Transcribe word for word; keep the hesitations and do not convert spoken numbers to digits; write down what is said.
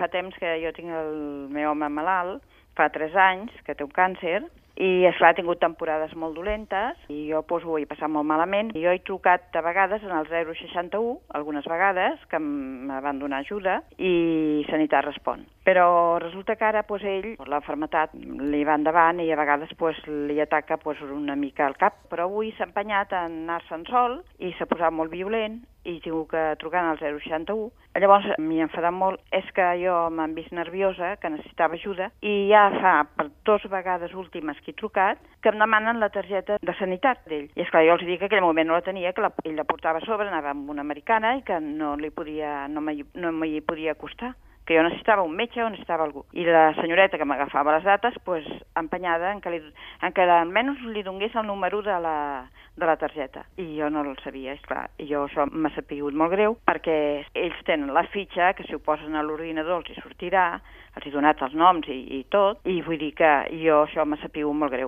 fa temps que jo tinc el meu home malalt, fa tres anys, que té un càncer, i, esclar, ha tingut temporades molt dolentes i jo doncs, ho he passat molt malament. Jo he trucat de vegades en el zero seixanta u, algunes vegades, que em van donar ajuda, i Sanitat respon. Però resulta que ara doncs, ell, la malaltia li va endavant i a vegades doncs, li ataca doncs, una mica al cap. Però avui s'ha empenyat a anar-se'n sol i s'ha posat molt violent i he tingut que trucar al zero seixanta u. Llavors, m'hi he enfadat molt, és que jo m'han vist nerviosa, que necessitava ajuda, i ja fa per dues vegades últimes que he trucat, que em demanen la targeta de sanitat d'ell. I esclar, jo els dic que en aquell moment no la tenia, que la, ell la portava a sobre, anava amb una americana i que no li podia, no m'hi no m'hi podia acostar, que jo necessitava un metge o necessitava algú. I la senyoreta que m'agafava les dates, pues, empenyada en que, li, en que almenys li donés el número de la, de la targeta. I jo no el sabia, esclar. I jo això m'ha sapigut molt greu, perquè ells tenen la fitxa, que si ho posen a l'ordinador els hi sortirà, els he donat els noms i, i tot, i vull dir que jo això m'ha sapigut molt greu.